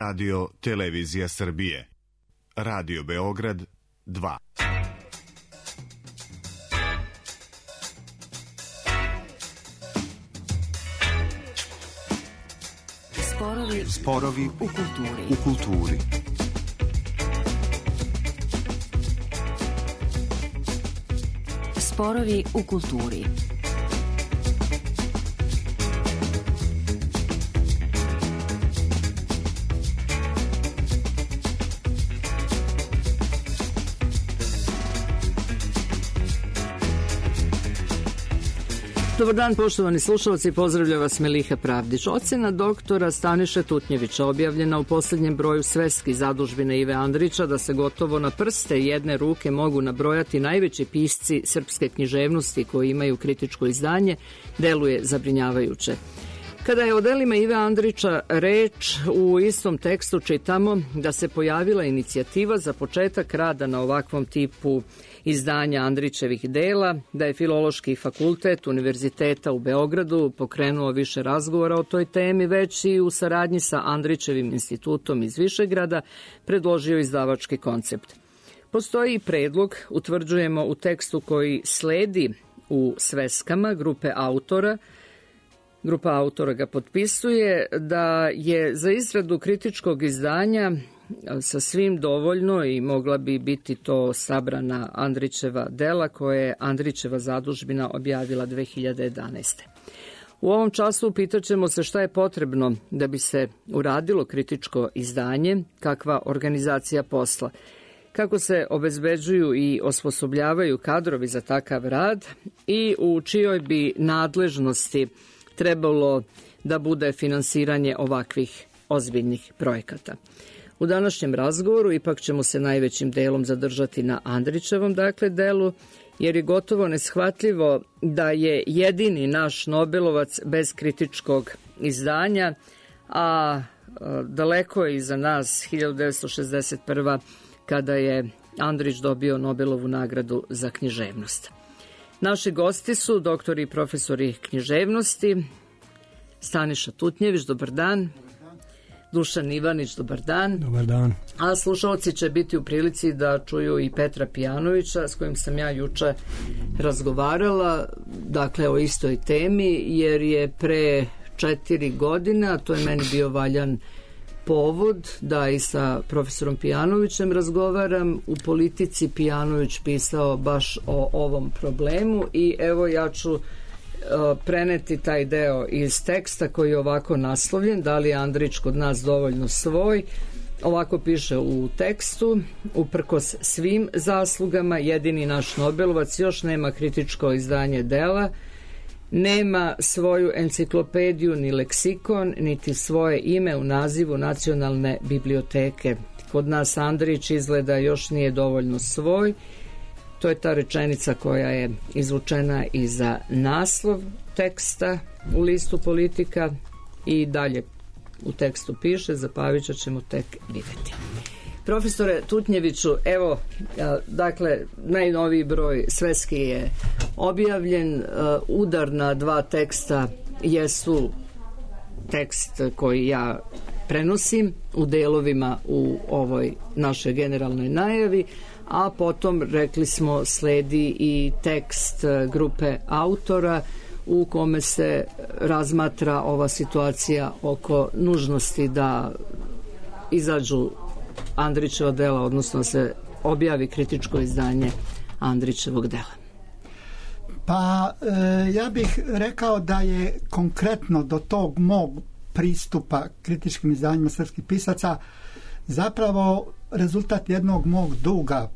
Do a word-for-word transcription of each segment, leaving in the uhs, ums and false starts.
Radio Televizija Srbije. Radio Beograd dva. Sporovi, Sporovi u kulturi. U kulturi. Sporovi u kulturi. Dobar dan, poštovani slušalci, pozdravlja vas Meliha Pravdić. Ocena doktora Staniše Tutnjevića objavljena u posljednjem broju Sveske zadužbine Ive Andrića da se gotovo na prste jedne ruke mogu nabrojati najveći pisci srpske književnosti koji imaju kritičko izdanje, deluje zabrinjavajuće. Kada je o delima Ive Andrića reč, u istom tekstu čitamo da se pojavila inicijativa za početak rada na ovakvom tipu izdanja Andrićevih dela, da je Filološki fakultet Univerziteta u Beogradu pokrenuo više razgovora o toj temi, već i u saradnji sa Andrićevim institutom iz Višegrada predložio izdavački koncept. Postoji i predlog, utvrđujemo u tekstu koji sledi u sveskama grupe autora. Grupa autora ga potpisuje da je za izradu kritičkog izdanja sa svim dovoljno i mogla bi biti to sabrana Andrićeva dela koje je Andrićeva zadužbina objavila dve hiljade jedanaeste. U ovom času pitaćemo se šta je potrebno da bi se uradilo kritičko izdanje, kakva organizacija posla, kako se obezbeđuju i osposobljavaju kadrovi za takav rad i u čijoj bi nadležnosti trebalo da bude finansiranje ovakvih ozbiljnih projekata. U današnjem razgovoru ipak ćemo se najvećim delom zadržati na Andrićevom dakle delu, jer je gotovo neshvatljivo da je jedini naš Nobelovac bez kritičkog izdanja, a daleko je iza nas hiljadu devetsto šezdeset prva. kada je Andrić dobio Nobelovu nagradu za književnost. Naši gosti su doktori i profesori književnosti, Staniša Tutnjević, dobar dan. Dušan Ivanić, dobar dan. Dobar dan. A slušalci će biti u prilici da čuju i Petra Pijanovića, s kojim sam ja juče razgovarala, dakle o istoj temi, jer je pre četiri godine, a to je meni bio valjan povod da i sa profesorom Pijanovićem razgovaram, u Politici Pijanović pisao baš o ovom problemu i evo ja ću preneti taj deo iz teksta koji je ovako naslovljen, da li je Andrić kod nas dovoljno svoj. Ovako piše u tekstu: uprkos svim zaslugama, jedini naš Nobelovac još nema kritičko izdanje dela, nema svoju enciklopediju ni leksikon, niti svoje ime u nazivu nacionalne biblioteke. Kod nas Andrić izgleda još nije dovoljno svoj. To je ta rečenica koja je izvučena i za naslov teksta u listu Politika i dalje u tekstu piše: za Pavića ćemo tek vidjeti. Profesore Tutnjeviću, evo, dakle, najnoviji broj Sveski je objavljen. Udar na dva teksta jesu tekst koji ja prenosim u delovima u ovoj našoj generalnoj najavi, a potom, rekli smo, sledi i tekst grupe autora u kome se razmatra ova situacija oko nužnosti da izađu Andrićeva dela, odnosno se objavi kritičko izdanje Andrićevog dela. Pa e, ja bih rekao da je konkretno do tog mog pristupa kritičkim izdanjima srpskih pisaca zapravo rezultat jednog mog duga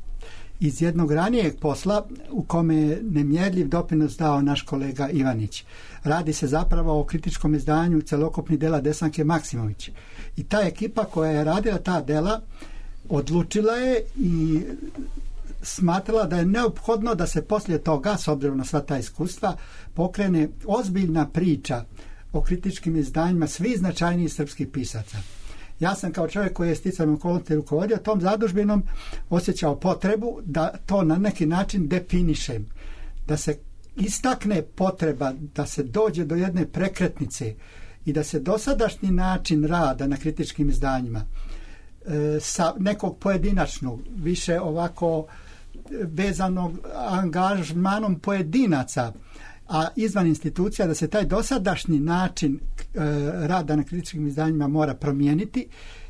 iz jednog ranijeg posla u kome je nemjerljiv doprinos dao naš kolega Ivanić. Radi se zapravo o kritičkom izdanju celokupnih dela Desanke Maksimović. I ta ekipa koja je radila ta dela odlučila je i smatrala da je neophodno da se poslije toga, s obzirom na sva ta iskustva, pokrene ozbiljna priča o kritičkim izdanjima svih značajnijih srpskih pisaca. Ja sam kao čovjek koji je sticajem okolnosti rukovodio tom zadužbinom osjećao potrebu da to na neki način definišem, da se istakne potreba da se dođe do jedne prekretnice i da se dosadašnji način rada na kritičkim izdanjima e, sa nekog pojedinačnog, više ovako vezanog angažmanom pojedinaca, a izvan institucija, da se taj dosadašnji način e, rada na kritičkim izdanjima mora promijeniti,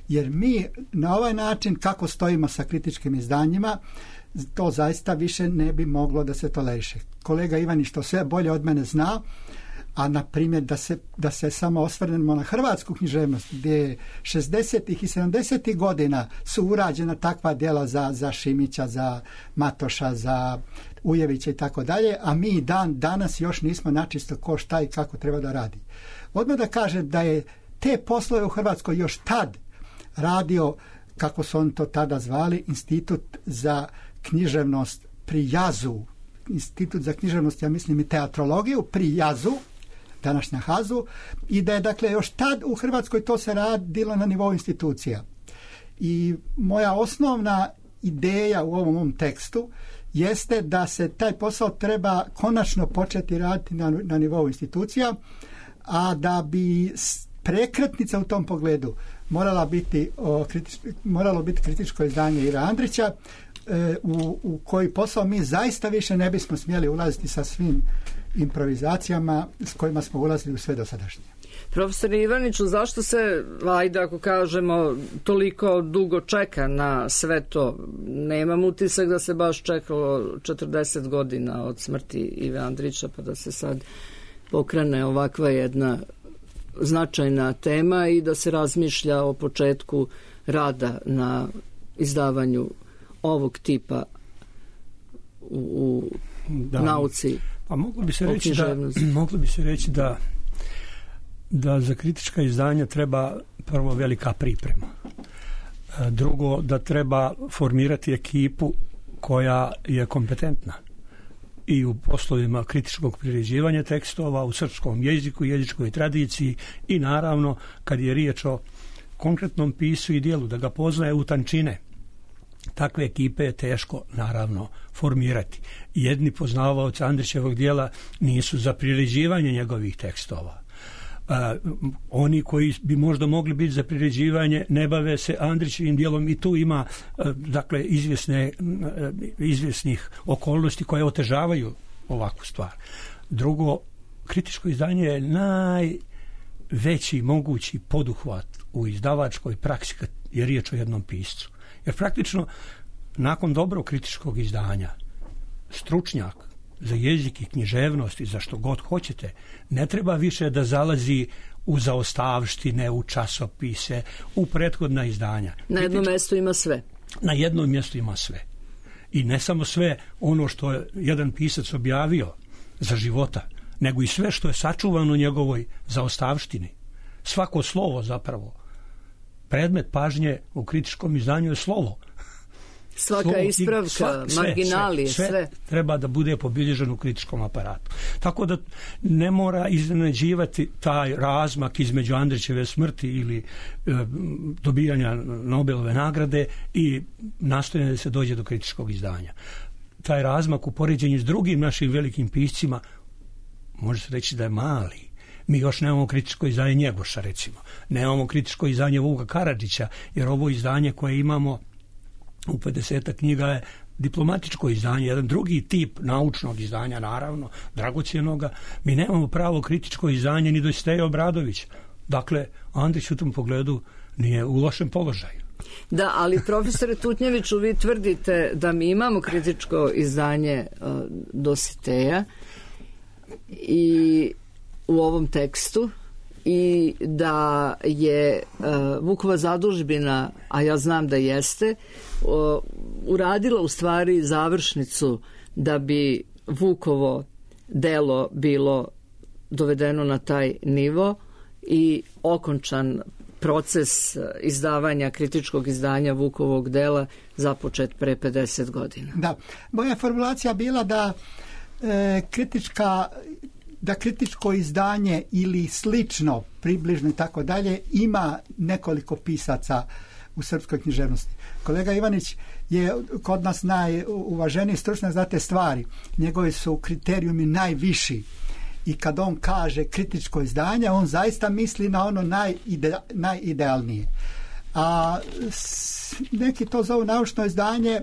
jer mi na ovaj način kako stojimo sa kritičkim izdanjima, to zaista više ne bi moglo da se toleriše. Kolega Ivanić to sve bolje od mene zna, a na primjer da se, da se samo osvrnemo na hrvatsku književnost, gdje šezdesetih i sedamdesetih godina su urađena takva djela za, za Šimića, za Matoša, za Ujevića i tako dalje, a mi dan danas još nismo načisto ko šta i kako treba da radi. Odmah da kažem da je te poslove u Hrvatskoj još tad radio, kako su on to tada zvali, Institut za književnost pri Jazu, Institut za književnost, ja mislim i teatrologiju pri Jazu, današnja Hazu, i da je dakle još tad u Hrvatskoj to se radilo na nivou institucija. I moja osnovna ideja u ovom, ovom tekstu jeste da se taj posao treba konačno početi raditi na, na nivou institucija, a da bi prekretnica u tom pogledu morala biti o, kritič, moralo biti kritičko izdanje Ive Andrića, e, u, u koji posao mi zaista više ne bismo smjeli ulaziti sa svim improvizacijama s kojima smo ulazili u sve dosadašnje. Profesor Ivaniću, zašto se, ajde ako kažemo, toliko dugo čeka na sve to? Nemam utisak da se baš čekalo četrdeset godina od smrti Ive Andrića, pa da se sad pokrene ovakva jedna značajna tema i da se razmišlja o početku rada na izdavanju ovog tipa u, u da, nauci. Pa moglo bi se reći da, moglo bi se reći da da za kritička izdanja treba prvo velika priprema. Drugo, da treba formirati ekipu koja je kompetentna i u poslovima kritičkog priređivanja tekstova, u srpskom jeziku, jezičkoj tradiciji i naravno kad je riječ o konkretnom pisu i dijelu, da ga poznaje u tančine. Takve ekipe je teško naravno formirati. Jedni poznavaoci Andrićevog dijela nisu za priređivanje njegovih tekstova. Uh, oni koji bi možda mogli biti za priređivanje ne bave se Andrićevim dijelom i tu ima uh, dakle izvjesne, uh, izvjesnih okolnosti koje otežavaju ovakvu stvar. Drugo, kritičko izdanje je najveći mogući poduhvat u izdavačkoj praksi kad je riječ o jednom piscu. Jer praktično nakon dobrog kritičkog izdanja stručnjak za jezik i književnost i za što god hoćete, ne treba više da zalazi u zaostavštine, u časopise, u prethodna izdanja. Na jednom mjestu ima sve. Na jednom mjestu ima sve. I ne samo sve ono što je jedan pisac objavio za života, nego i sve što je sačuvano u njegovoj zaostavštini. Svako slovo zapravo. Predmet pažnje u kritičkom izdanju je slovo. Svaka slovo, ispravka, svak, sve, marginalije, sve, sve. Sve treba da bude pobilježeno u kritičkom aparatu. Tako da ne mora iznenađivati taj razmak između Andrićeve smrti ili e, dobijanja Nobelove nagrade i nastojanja da se dođe do kritičkog izdanja. Taj razmak u poređenju s drugim našim velikim piscima može se reći da je mali. Mi još nemamo kritičko izdanje Njegoša, recimo. Nemamo kritičko izdanje Vuka Karadžića, jer ovo izdanje koje imamo u pedesetak knjiga je diplomatičko izdanje, jedan drugi tip naučnog izdanja, naravno, dragocjenoga. Mi nemamo pravo kritičko izdanje ni do Steje Obradovića. Dakle, Andrić u tom pogledu nije u lošem položaju. Da, ali profesore Tutnjeviću, vi tvrdite da mi imamo kritičko izdanje uh, Dositeja i u ovom tekstu i da je uh, Vukova zadužbina, a ja znam da jeste, uh, uradila u stvari završnicu da bi Vukovo delo bilo dovedeno na taj nivo i okončan proces izdavanja kritičkog izdanja Vukovog dela započet pre pedeset godina. Da, moja formulacija bila da e, kritička da kritičko izdanje ili slično, približno i tako dalje, ima nekoliko pisaca u srpskoj književnosti. Kolega Ivanić je kod nas najuvaženiji stručnjak za te stvari. Njegovi su kriterijumi najviši i kad on kaže kritičko izdanje, on zaista misli na ono najide, najidealnije. A neki to zovu naučno izdanje,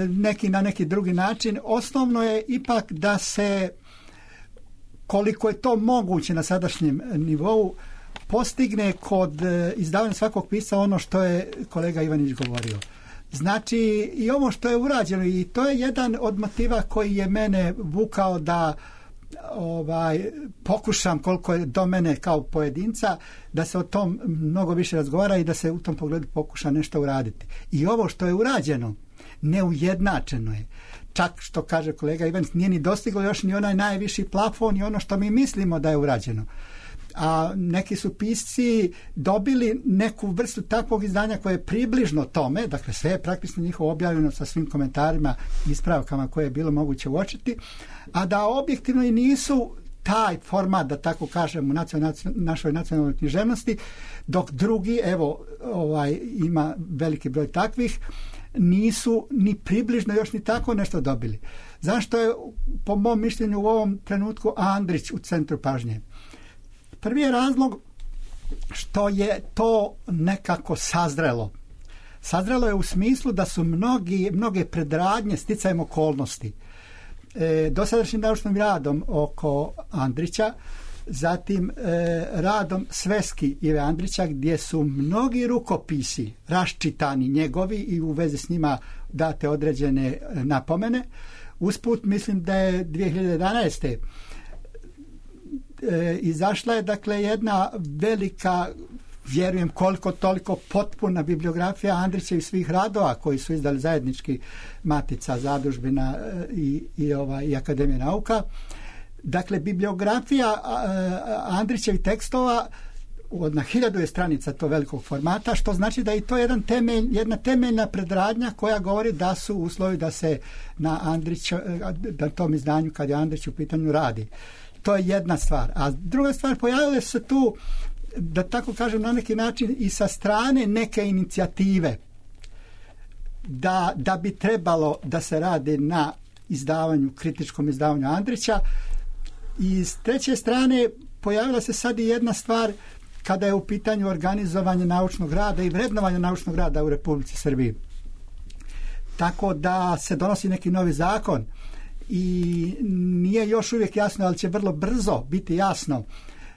neki na neki drugi način. Osnovno je ipak da se, koliko je to moguće na sadašnjem nivou, postigne kod izdavanja svakog pisca ono što je kolega Ivanić govorio. Znači, i ovo što je urađeno, i to je jedan od motiva koji je mene vukao da ovaj, pokušam koliko je do mene kao pojedinca, da se o tom mnogo više razgovara i da se u tom pogledu pokuša nešto uraditi. I ovo što je urađeno, neujednačeno je. Čak što kaže kolega Ivanić, nije ni dostiglo još ni onaj najviši plafon i ono što mi mislimo da je urađeno. A neki su pisci dobili neku vrstu takvog izdanja koje je približno tome, dakle sve je praktično njihovo objavljeno sa svim komentarima, ispravkama koje je bilo moguće uočiti, a da objektivno i nisu taj format, da tako kažem, u nacional, našoj nacionalnoj književnosti, dok drugi, evo, ovaj, ima veliki broj takvih, nisu ni približno još ni tako nešto dobili. Zašto je, po mom mišljenju, u ovom trenutku Andrić u centru pažnje? Prvi je razlog što je to nekako sazrelo. Sazrelo je u smislu da su mnogi, mnoge predradnje sticajem okolnosti. E, dosadašnjim naučnim radom oko Andrića, zatim e, radom Sveski Ive Andrića, gdje su mnogi rukopisi raščitani njegovi i u vezi s njima date određene napomene. Usput mislim da je dvije hiljade jedanaeste E, izašla je dakle jedna velika, vjerujem koliko toliko potpuna bibliografija Andrića i svih radova koji su izdali zajednički Matica, Zadužbina i, i, ova, i Akademija nauka. Dakle, bibliografija Andrićevih tekstova na hiljadu je stranica to velikog formata, što znači da je to jedan temelj, jedna temeljna predradnja koja govori da su uslovi da se na Andrić, na tom izdanju kad je Andrić u pitanju radi. To je jedna stvar. A druga stvar, pojavile se tu, da tako kažem, na neki način i sa strane neke inicijative da, da bi trebalo da se radi na izdavanju, kritičkom izdavanju Andrića. I s treće strane pojavila se sad i jedna stvar kada je u pitanju organizovanje naučnog rada i vrednovanje naučnog rada u Republici Srbiji. Tako da se donosi neki novi zakon i nije još uvijek jasno, ali će vrlo brzo biti jasno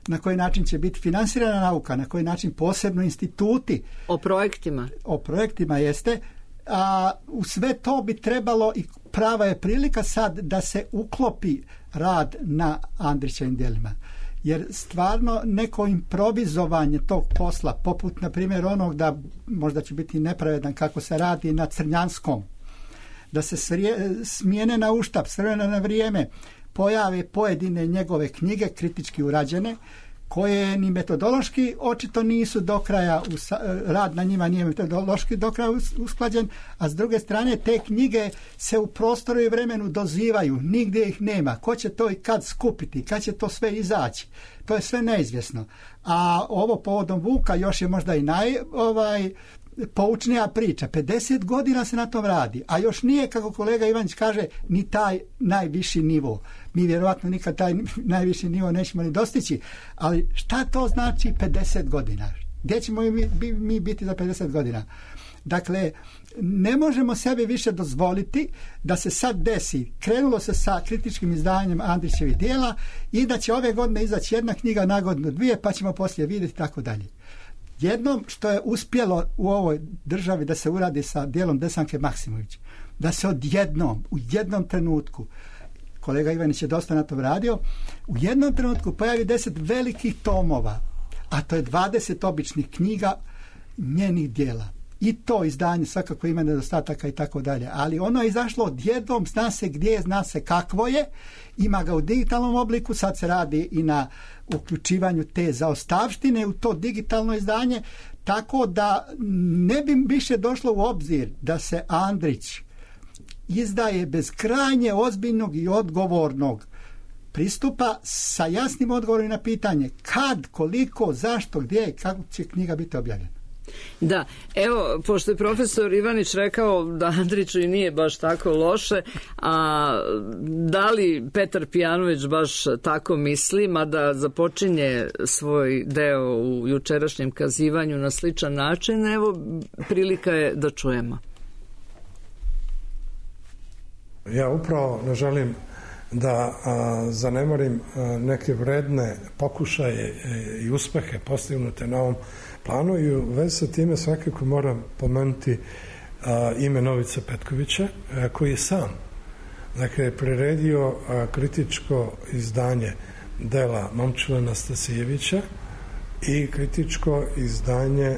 na koji način će biti finansirana nauka, na koji način posebno instituti. O projektima. O projektima jeste. A u sve to bi trebalo i prava je prilika sad da se uklopi rad na Andrićevim djelima. Jer stvarno neko improvizovanje tog posla, poput na primjer onog da možda će biti nepravedan kako se radi na Crnjanskom, da se smijene na uštap, s vremena na vrijeme pojave pojedine njegove knjige kritički urađene, koje ni metodološki očito nisu do kraja, rad na njima nije metodološki do kraja usklađen, a s druge strane te knjige se u prostoru i vremenu dozivaju, nigdje ih nema. Ko će to i kad skupiti, kad će to sve izaći? To je sve neizvjesno. A ovo povodom Vuka još je možda i naj ovaj, poučnija priča. pedeset godina se na tom radi, a još nije, kako kolega Ivanić kaže, ni taj najviši nivo. Mi vjerovatno nikad taj najviši nivo nećemo ni dostići, ali šta to znači pedeset godina? Gdje ćemo mi, mi biti za pedeset godina? Dakle, ne možemo sebi više dozvoliti da se sad desi, krenulo se sa kritičkim izdanjem Andrićevih djela i da će ove godine izaći jedna knjiga, na godinu dvije, pa ćemo poslije vidjeti tako dalje. Jednom što je uspjelo u ovoj državi da se uradi sa djelom Desanke Maksimović, da se odjednom, u jednom trenutku, kolega Ivanić je dosta na to radio, u jednom trenutku pojavi deset velikih tomova, a to je dvadeset običnih knjiga njenih djela. I to izdanje svakako ima nedostataka i tako dalje, ali ono je izašlo odjednom, zna se gdje je, zna se kakvo je, ima ga u digitalnom obliku, sad se radi i na uključivanju te zaostavštine u to digitalno izdanje, tako da ne bi više došlo u obzir da se Andrić izdaje bez krajnje ozbiljnog i odgovornog pristupa sa jasnim odgovorom na pitanje kad, koliko, zašto, gdje i kako će knjiga biti objavljena. Da, evo, pošto je profesor Ivanić rekao da Andriću i nije baš tako loše, a da li Petar Pijanović baš tako misli, mada započinje svoj deo u jučerašnjem kazivanju na sličan način, evo, prilika je da čujemo. Ja upravo ne želim da a, zanemarim a, neke vredne pokušaje i uspehe postignute na ovom planu i u vezi sa time svakako moram pomenuti a, ime Novice Petkovića, a, koji je sam dakle, priredio a, kritičko izdanje dela Momčila Nastasijevića i kritičko izdanje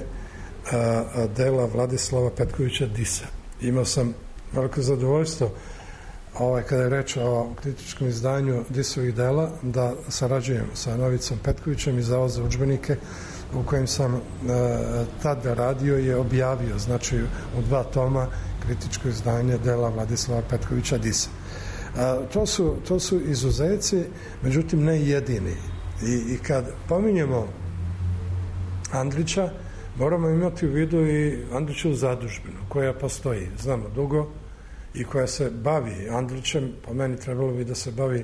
a, a, dela Vladislava Petkovića Disa. Imao sam veliko zadovoljstvo Ovaj, kada je reč o kritičkom izdanju Disovih dela, da sarađujem sa Novicom Petkovićem i Zavod za udžbenike u kojem sam e, tada radio je objavio, znači u dva toma kritičko izdanje dela Vladislava Petkovića Disa. E, to, su, to su izuzeci, međutim ne jedini. I, i kad pominjemo Andrića, moramo imati u vidu i Andrićevu zadužbinu koja postoji, znamo dugo, i koja se bavi Andrićem, po meni trebalo bi da se bavi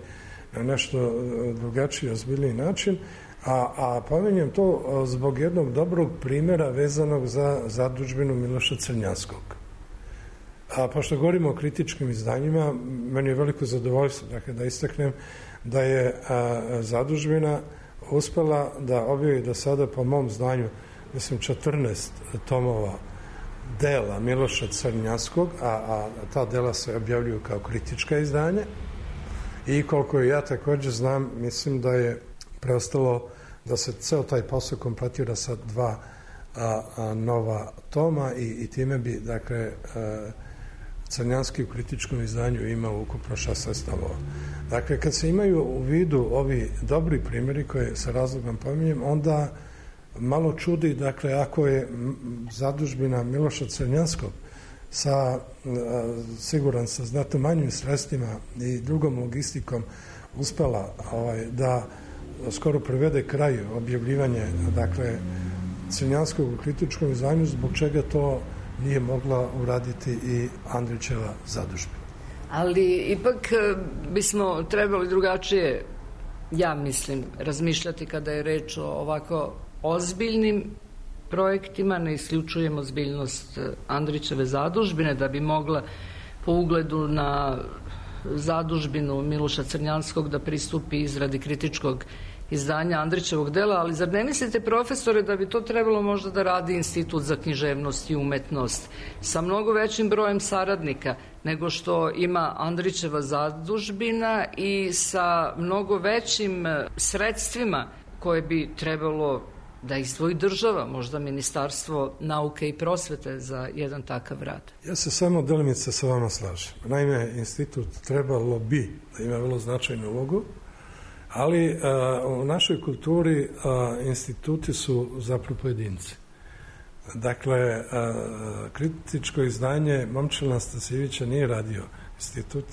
na nešto drugačiji, ozbiljniji način, a, a pominjem to zbog jednog dobrog primjera vezanog za zadužbinu Miloša Crnjanskog. A pošto govorimo o kritičkim izdanjima, meni je veliko zadovoljstvo dakle, da istaknem da je a, zadužbina uspela da objavi do sada po mom znanju, mislim, četrnaest tomova dela Miloša Crnjanskog, a, a ta dela se objavljuju kao kritička izdanja i koliko ja također znam, mislim da je preostalo da se ceo taj posao kompletira sa dva a, a, nova toma i, i time bi, dakle, a, Crnjanski u kritičkom izdanju imao ukupno šesnaest tomova. Dakle, kad se imaju u vidu ovi dobri primjeri koje sa razlogom pominjem, onda malo čudi, dakle, ako je zadužbina Miloša Crnjanskog sa, siguran, sa znatno manjim sredstvima i drugom logistikom uspela ovaj, da skoro privede kraju objavljivanje, dakle, Crnjanskog u kritičkom izdanju, zbog čega to nije mogla uraditi i Andrićeva zadužbina. Ali ipak bismo trebali drugačije, ja mislim, razmišljati kada je reč o ovako ozbiljnim projektima, ne isključujemo ozbiljnost Andrićeve zadužbine da bi mogla po ugledu na zadužbinu Miloša Crnjanskog da pristupi izradi kritičkog izdanja Andrićevog dela, ali zar ne mislite, profesore, da bi to trebalo možda da radi Institut za književnost i umetnost sa mnogo većim brojem saradnika nego što ima Andrićeva zadužbina i sa mnogo većim sredstvima koje bi trebalo da izdvoji država, možda Ministarstvo nauke i prosvete za jedan takav rad? Ja se samo delimice sa vama slažem. Naime, institut trebalo bi da ima vrlo značajnu ulogu, ali a, u našoj kulturi a, instituti su zapravo pojedinci. Dakle, a, kritičko izdanje Momčila Nastasijevića nije radio institut,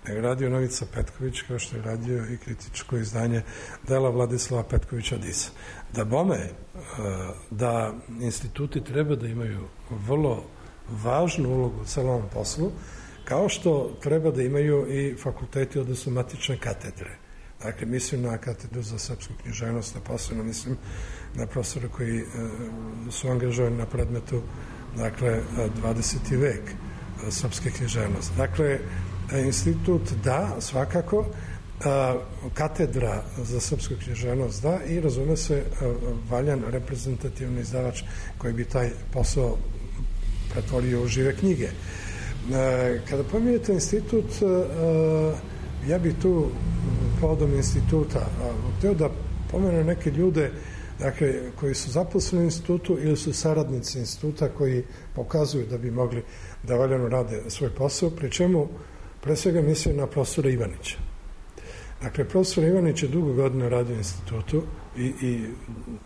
nego radio Novica Petković, kao što je radio i kritičko izdanje dela Vladislava Petkovića Disa. Da bome, da instituti treba da imaju vrlo važnu ulogu u celom poslu, kao što treba da imaju i fakulteti, odnosno matične katedre. Dakle, mislim na katedru za srpsku književnost, a posebno mislim na profesore koji su angažovani na predmetu, dakle, dvadeseti vek srpske književnosti. Dakle, institut da, svakako, katedra za srpsku književnost da i razume se valjan reprezentativni izdavač koji bi taj posao pretvorio u žive knjige. Kada pominjete institut, ja bih tu povodom instituta hteo da pomenem neke ljude, dakle, koji su zaposleni u institutu ili su saradnici instituta koji pokazuju da bi mogli da valjano rade svoj posao, pri čemu pre svega mislim na profesora Ivanića. Dakle, profesor Ivanić je dugo godina radio u institutu i, i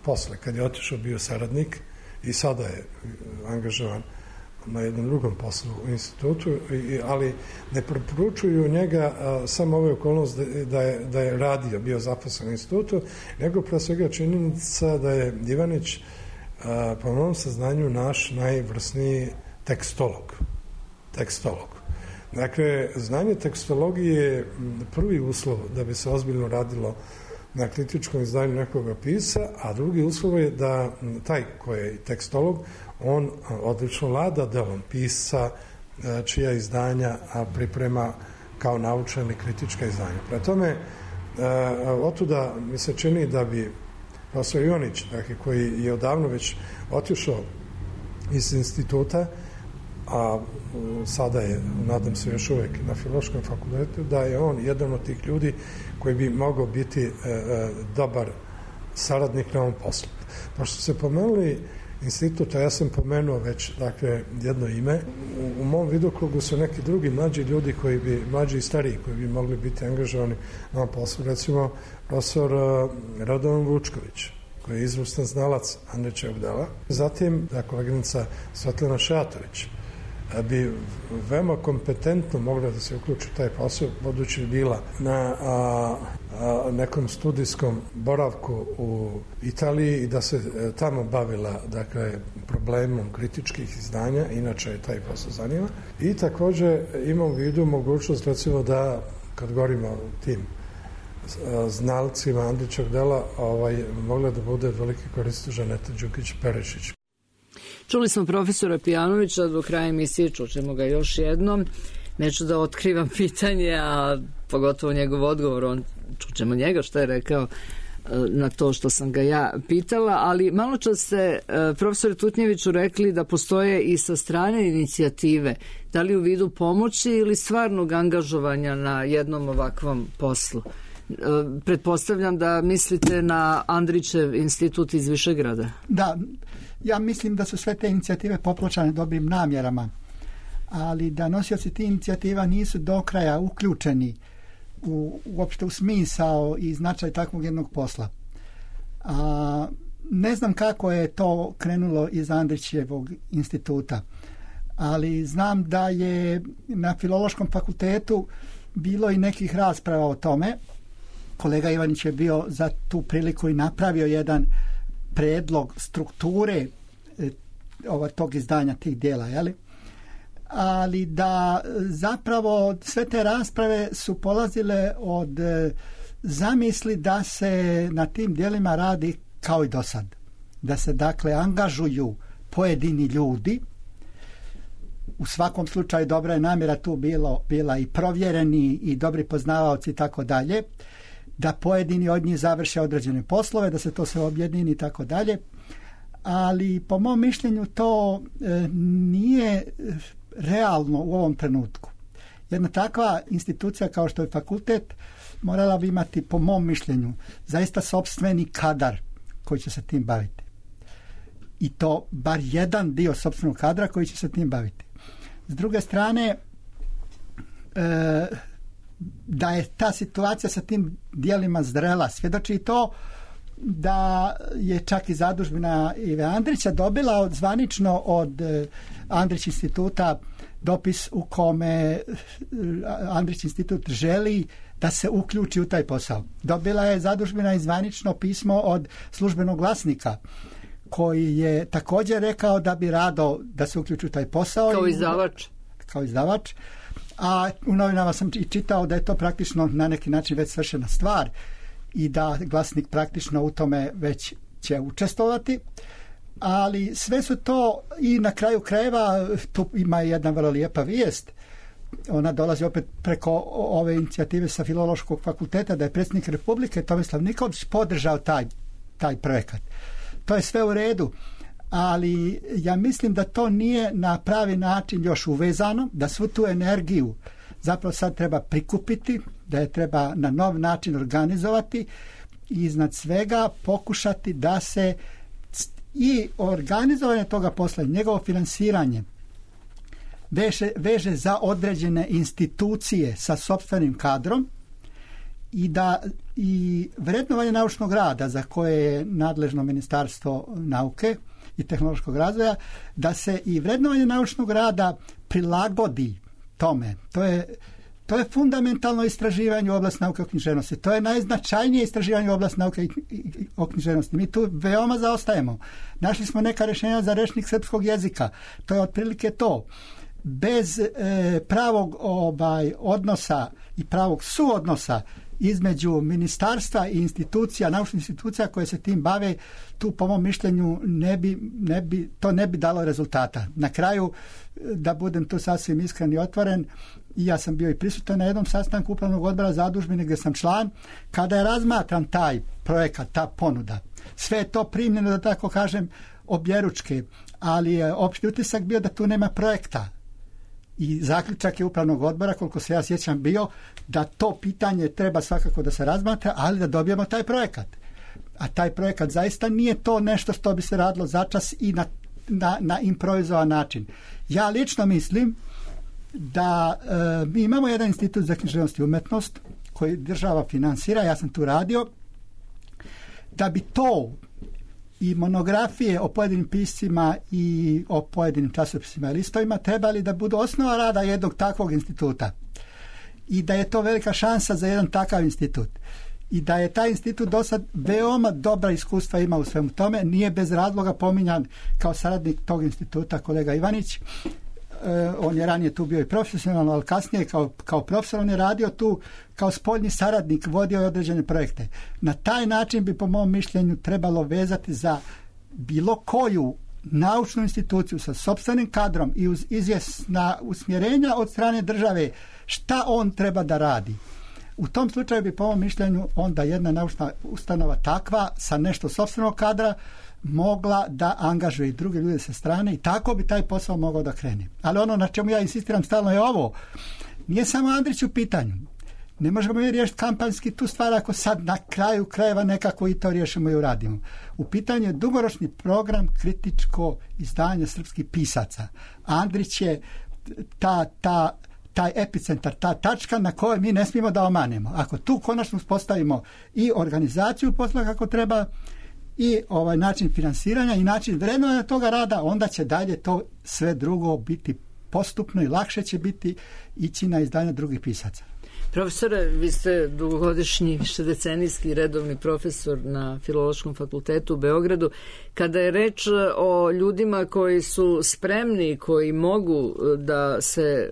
posle, kad je otišao, bio saradnik i sada je angažovan na jednom drugom poslu u institutu, i, ali ne preporučuju njega a, samo ove okolnost da, da, je, da je radio, bio zaposlen u institutu, nego pre svega činjenica da je Ivanić po mom saznanju, naš najvrsniji tekstolog. Tekstolog. Dakle, znanje tekstologije je prvi uslov da bi se ozbiljno radilo na kritičkom izdanju nekoga pisa, a drugi uslov je da taj koji je tekstolog, on odlično vlada delom pisca, čija izdanja priprema kao naučna ili kritička izdanja. Prema tome, otuda mi se čini da bi profesor Ivanić, dakle, koji je odavno već otišao iz instituta, a sada je, nadam se, još uvek na Filološkom fakultetu, da je on jedan od tih ljudi koji bi mogao biti e, e, dobar saradnik na ovom poslu. Pošto se pomenuli instituta, ja sam pomenuo već, dakle, jedno ime. U, u mom vidokrugu su neki drugi mlađi ljudi koji bi, mlađi i stariji, koji bi mogli biti angažovani na ovom poslu. Recimo, profesor Radovan Vučković, koji je izvrstan znalac Andrićevog dela. Zatim, da, koleginica Svetlana Šajatović bi veoma kompetentno mogla da se uključi u taj posao, budući je bila na a, a, nekom studijskom boravku u Italiji i da se tamo bavila, dakle, problemom kritičkih izdanja, inače je taj posao zanima. I takođe imam u vidu mogućnost, recimo, da, kad govorimo o tim znalcima Andrićevog dela, ovaj, mogla da bude veliki korist Žaneta Đukić-Perešić. Čuli smo profesora Pijanovića, do kraja emisije čućemo ga još jednom. Neću da otkrivam pitanje, a pogotovo njegov odgovor, on, čućemo njega šta je rekao na to što sam ga ja pitala, ali malo čas ste profesore Tutnjeviću rekli da postoje i sa strane inicijative, da li u vidu pomoći ili stvarnog angažovanja na jednom ovakvom poslu. Pretpostavljam da mislite na Andrićev institut iz Višegrada. Da, ja mislim da su sve te inicijative popločane dobrim namjerama, ali da nosioci tih inicijativa nisu do kraja uključeni u, uopšte u smisao i značaj takvog jednog posla. A, ne znam kako je to krenulo iz Andrićevog instituta, ali znam da je na Filološkom fakultetu bilo i nekih rasprava o tome. Kolega Ivanić je bio za tu priliku i napravio jedan predlog strukture e, ova, tog izdanja tih dijela, jeli? Ali da zapravo sve te rasprave su polazile od e, zamisli da se na tim dijelima radi kao i do sad. Da se, dakle, angažuju pojedini ljudi. U svakom slučaju dobra je namjera tu bilo, bila i provjereni i dobri poznavaoci i tako dalje, da pojedini od njih završe određene poslove, da se to sve objedini i tako dalje. Ali po mom mišljenju to e, nije realno u ovom trenutku. Jedna takva institucija kao što je fakultet morala bi imati, po mom mišljenju, zaista sopstveni kadar koji će se tim baviti. I to bar jedan dio sopstvenog kadra koji će se tim baviti. S druge strane, e, da je ta situacija sa tim dijelima zrela, svjedoči to da je čak i zadužbina Ive Andrića dobila od, zvanično od Andrić instituta dopis u kome Andrić institut želi da se uključi u taj posao. Dobila je zadužbina i zvanično pismo od službenog glasnika koji je također rekao da bi rado da se uključi u taj posao. Kao izdavač. Kao izdavač. A u novinama sam i čitao da je to praktično na neki način već svršena stvar i da glasnik praktično u tome već će učestvovati. Ali sve su to i na kraju krajeva tu ima jedna vrlo lijepa vijest. Ona dolazi opet preko ove inicijative sa Filološkog fakulteta, da je predsjednik Republike Tomislav Nikolić podržao taj, taj projekat. To je sve u redu, ali ja mislim da to nije na pravi način još uvezano, da svu tu energiju zapravo sad treba prikupiti, da je treba na nov način organizovati i iznad svega pokušati da se i organizovanje toga posla i njegovo finansiranje veže, veže za određene institucije sa sopstvenim kadrom i da i vrednovanje naučnog rada za koje je nadležno Ministarstvo nauke i tehnološkog razvoja, da se i vrednovanje naučnog rada prilagodi tome. To je To je fundamentalno istraživanje u oblasti nauke o književnosti. To je najznačajnije istraživanje u oblasti nauke o književnosti. Mi tu veoma zaostajemo. Našli smo neka rješenja za rečnik srpskog jezika. To je otprilike to. Bez e, pravog ovaj, odnosa i pravog suodnosa između ministarstva i institucija, naučnih institucija koje se tim bave, tu po mom mišljenju ne bi, ne bi, to ne bi dalo rezultata. Na kraju, da budem tu sasvim iskren i otvoren, i ja sam bio i prisutan na jednom sastanku upravnog odbora zadužbine gdje sam član, kada je razmatran taj projekat, ta ponuda. Sve je to primljeno, da tako kažem, objeručke, ali je opšti utisak bio da tu nema projekta. I zaključak je upravnog odbora, koliko se ja sjećam, bio da to pitanje treba svakako da se razmatra, ali da dobijemo taj projekat. A taj projekat zaista nije to nešto što bi se radilo začas i na, na, na improvizovan način. Ja lično mislim da e, mi imamo jedan institut za književnost i umetnost koji država finansira, ja sam tu radio, da bi to i monografije o pojedinim piscima i o pojedinim časopisima i listovima trebali da budu osnova rada jednog takvog instituta. I da je to velika šansa za jedan takav institut. I da je taj institut do sad veoma dobra iskustva ima u svemu tome. Nije bez razloga pominjan kao saradnik tog instituta kolega Ivanić. E, on je ranije tu bio i profesionalno, ali kasnije kao, kao profesor on je radio tu kao spoljni saradnik, vodio je određene projekte. Na taj način bi po mom mišljenju trebalo vezati za bilo koju naučnu instituciju sa sopstvenim kadrom i uz izvjesna usmjerenja od strane države šta on treba da radi. U tom slučaju bi po mom mišljenju onda jedna naučna ustanova takva sa nešto sopstvenog kadra mogla da angažuje i druge ljude sa strane i tako bi taj posao mogao da krene. Ali ono na čemu ja insistiram stalno je ovo. Nije samo Andrić u pitanju. Ne možemo mi riješiti kampanjski tu stvar ako sad na kraju krajeva nekako i to riješimo i uradimo. U pitanju je dugoročni program kritičko izdanje srpskih pisaca. Andrić je ta, ta, taj epicentar, ta tačka na kojoj mi ne smijemo da omanemo. Ako tu konačno uspostavimo i organizaciju posla kako treba i ovaj način finansiranja i način vrednovanja toga rada, onda će dalje to sve drugo biti postupno i lakše će biti ići na izdanje drugih pisaca. Profesore, vi ste dugogodišnji, višedecenijski redovni profesor na Filološkom fakultetu u Beogradu. Kada je reč o ljudima koji su spremni, koji mogu da se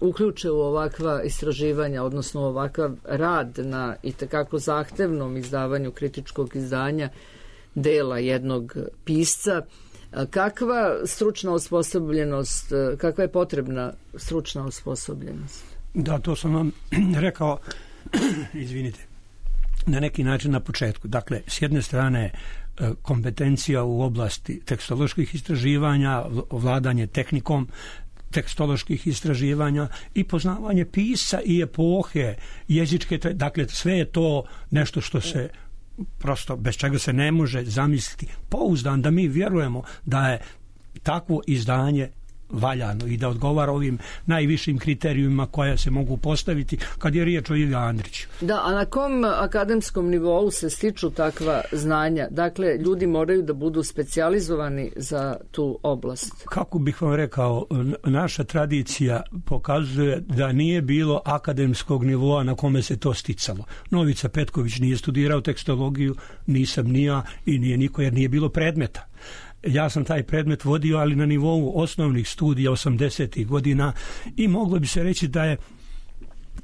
uh, uključe u ovakva istraživanja, odnosno ovakav rad na itekako zahtevnom izdavanju kritičkog izdanja dela jednog pisca, kakva stručna osposobljenost, kakva je potrebna stručna osposobljenost? Da, to sam vam rekao, izvinite, na neki način na početku. Dakle, s jedne strane kompetencija u oblasti tekstoloških istraživanja, vladanje tehnikom tekstoloških istraživanja i poznavanje pisca i epohe, jezičke, dakle, sve je to nešto što se prosto, bez čega se ne može zamisliti. Pouzdan da mi vjerujemo da je takvo izdanje valjano i da odgovara ovim najvišim kriterijumima koja se mogu postaviti kad je riječ o Ivi Andriću. Da, a na kom akademskom nivou se stiču takva znanja? Dakle, ljudi moraju da budu specijalizovani za tu oblast. Kako bih vam rekao, naša tradicija pokazuje da nije bilo akademskog nivoa na kome se to sticalo. Novica Petković nije studirao tekstologiju, nisam ni ja i nije niko jer nije bilo predmeta. Ja sam taj predmet vodio, ali na nivou osnovnih studija osamdesetih godina i moglo bi se reći da je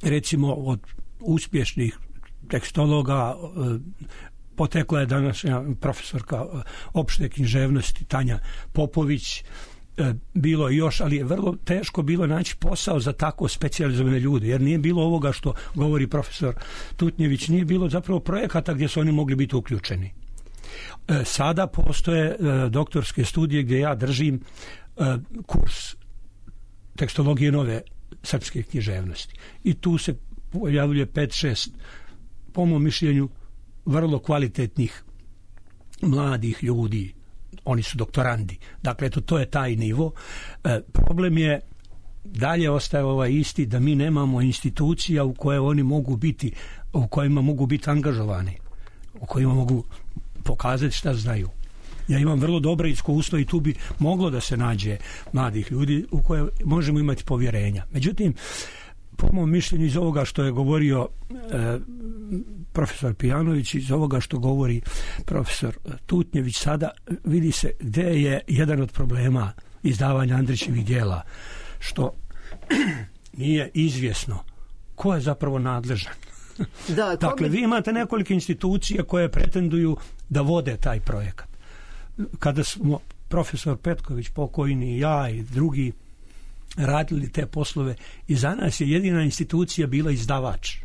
recimo od uspješnih tekstologa potekla je današnja profesorka opšte književnosti Tanja Popović, bilo još, ali je vrlo teško bilo naći posao za tako specijalizovane ljude, jer nije bilo ovoga što govori profesor Tutnjević, nije bilo zapravo projekata gdje su oni mogli biti uključeni. Sada postoje doktorske studije gdje ja držim kurs tekstologije nove srpske književnosti. I tu se pojavljuje pet šest, po mom mišljenju, vrlo kvalitetnih mladih ljudi. Oni su doktorandi. Dakle, to, to je taj nivo. Problem je, dalje ostaje ovaj isti, da mi nemamo institucija u koje oni mogu biti, u kojima mogu biti angažovani, u kojima mogu pokazati šta znaju. Ja imam vrlo dobro iskustvo i tu bi moglo da se nađe mladih ljudi u koje možemo imati povjerenja. Međutim, po mom mišljenju iz ovoga što je govorio e, profesor Pijanović, iz ovoga što govori profesor Tutnjević, sada vidi se gdje je jedan od problema izdavanja Andrićevih djela, što nije izvjesno ko je zapravo nadležan. Da, dakle, bi... vi imate nekoliko institucija koje pretenduju da vode taj projekat. Kada smo profesor Petković, pokojni, ja i drugi radili te poslove, i za nas je jedina institucija bila izdavač.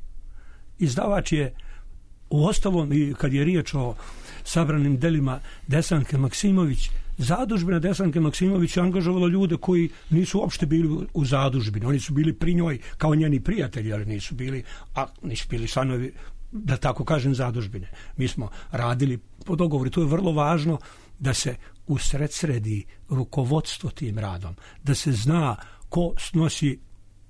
Izdavač je u ostalom, i kad je riječ o sabranim delima Desanke Maksimović, zadužbina Desanke Maksimović je angažovala ljude koji nisu uopšte bili u zadužbini. Oni su bili pri njoj kao njeni prijatelji, ali nisu bili, a nisu bili članovi, da tako kažem, zadužbine. Mi smo radili po dogovoru. To je vrlo važno da se usredsredi rukovodstvo tim radom, da se zna ko snosi,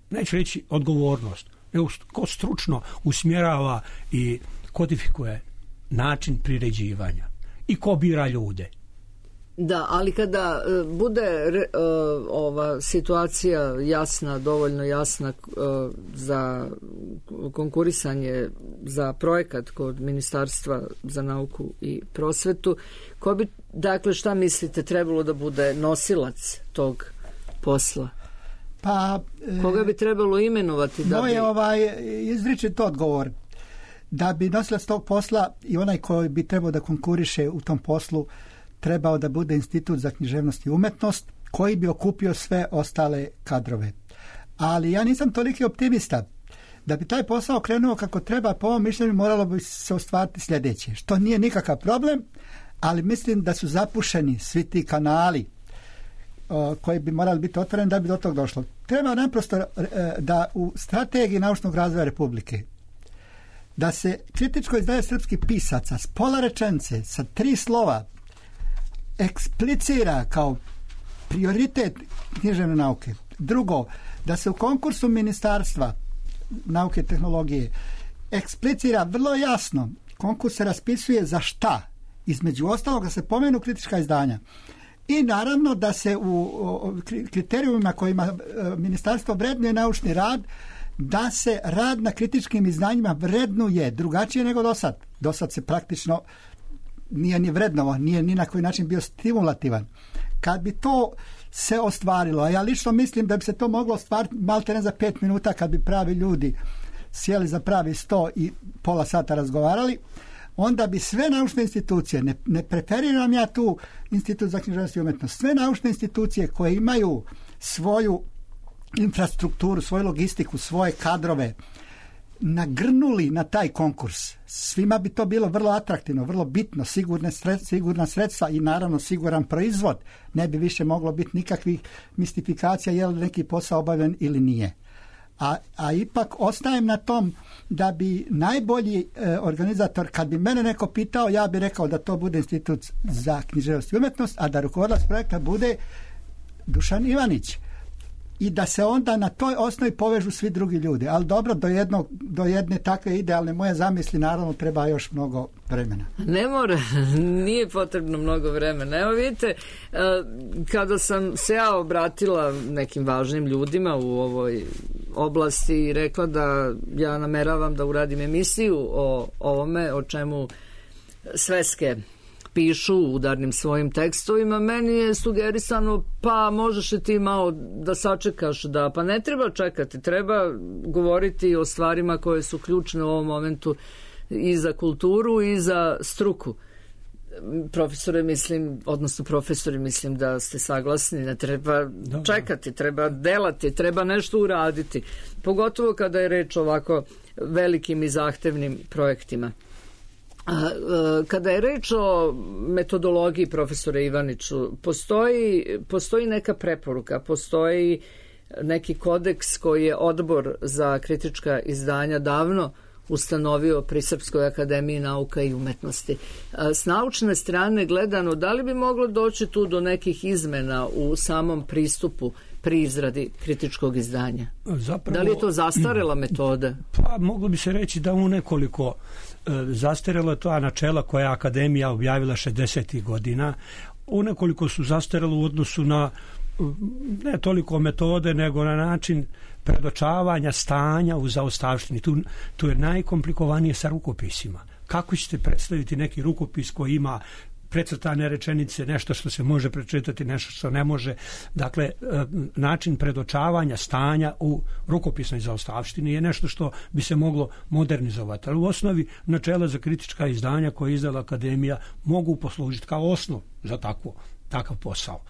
neću reći odgovornost, nego ko stručno usmjerava i kodifikuje način priređivanja i ko bira ljude. Da, ali kada uh, bude uh, ova situacija jasna, dovoljno jasna uh, za konkurisanje za projekat kod Ministarstva za nauku i prosvetu, ko bi, dakle, šta mislite, trebalo da bude nosilac tog posla? Pa, koga bi trebalo imenovati? Da moj bi... ovaj izričit odgovor da bi nosilac tog posla i onaj koji bi trebao da konkuriše u tom poslu trebao da bude Institut za književnost i umetnost koji bi okupio sve ostale kadrove. Ali ja nisam toliki optimista. Da bi taj posao krenuo kako treba, po ovom mišljenju moralo bi se ostvariti sljedeće, što nije nikakav problem, ali mislim da su zapušeni svi ti kanali o, koji bi morali biti otvoreni da bi do tog došlo. Treba naprosto da u strategiji naučnog razvoja Republike da se kritičko izdanje srpskih pisaca s pola rečenice, sa tri slova, eksplicira kao prioritet književne nauke. Drugo, da se u konkursu Ministarstva nauke i tehnologije eksplicira vrlo jasno, konkurs se raspisuje za šta, između ostalog da se pomenu kritička izdanja. I naravno da se u kriterijumima kojima Ministarstvo vrednuje naučni rad, da se rad na kritičkim izdanjima vrednuje drugačije nego do sad. Do sad se praktično nije ni vrednovo, nije ni na koji način bio stimulativan. Kad bi to se ostvarilo, a ja lično mislim da bi se to moglo ostvariti malte ne za pet minuta kad bi pravi ljudi sjeli za pravi sto i pola sata razgovarali, onda bi sve naučne institucije, ne, ne preferiram ja tu Institut za književnost i umetnost, sve naučne institucije koje imaju svoju infrastrukturu, svoju logistiku, svoje kadrove, nagrnuli na taj konkurs. Svima bi to bilo vrlo atraktivno, vrlo bitno, sigurne sredstva, sigurna sredstva i naravno siguran proizvod. Ne bi više moglo biti nikakvih mistifikacija je li neki posao obavljen ili nije. A, a ipak ostajem na tom da bi najbolji e, organizator, kad bi mene neko pitao, ja bi rekao da to bude Institut za književnost i umetnost, a da rukovodilac projekta bude Dušan Ivanić. I da se onda na toj osnovi povežu svi drugi ljudi. Ali dobro, do, jednog, do jedne takve idealne moje zamisli naravno treba još mnogo vremena. Ne mora, nije potrebno mnogo vremena. Evo vidite, kada sam se ja obratila nekim važnim ljudima u ovoj oblasti i rekla da ja nameravam da uradim emisiju o ovome, o čemu sveske pišu u udarnim svojim tekstovima, meni je sugerisano, pa možeš li ti malo da sačekaš, da, pa ne treba čekati, treba govoriti o stvarima koje su ključne u ovom momentu i za kulturu i za struku. Profesore, mislim, odnosno profesori, mislim da ste saglasni, ne treba čekati, treba delati, treba nešto uraditi, pogotovo kada je reč o ovako velikim i zahtevnim projektima. Kada je reč o metodologiji, profesore Ivaniću, postoji, postoji neka preporuka, postoji neki kodeks koji je Odbor za kritička izdanja davno ustanovio pri Srpskoj akademiji nauka i umetnosti. S naučne strane gledano, da li bi moglo doći tu do nekih izmena u samom pristupu pri izradi kritičkog izdanja? Zapravo, da li je to zastarela metoda? Pa moglo bi se reći da u nekoliko zastarelo je to načela koja je Akademija objavila šezdesetih godina. U nekoliko su zastarelo u odnosu na ne toliko metode, nego na način predočavanja stanja u zaostavštini. Tu, tu je najkomplikovanije sa rukopisima. Kako ćete predstaviti neki rukopis koji ima precrtane rečenice, nešto što se može prečitati, nešto što ne može. Dakle, način predočavanja stanja u rukopisnoj zaostavštini je nešto što bi se moglo modernizovati. Ali u osnovi načela za kritička izdanja koje je izdala Akademija mogu poslužiti kao osnov za takvo, takav posao.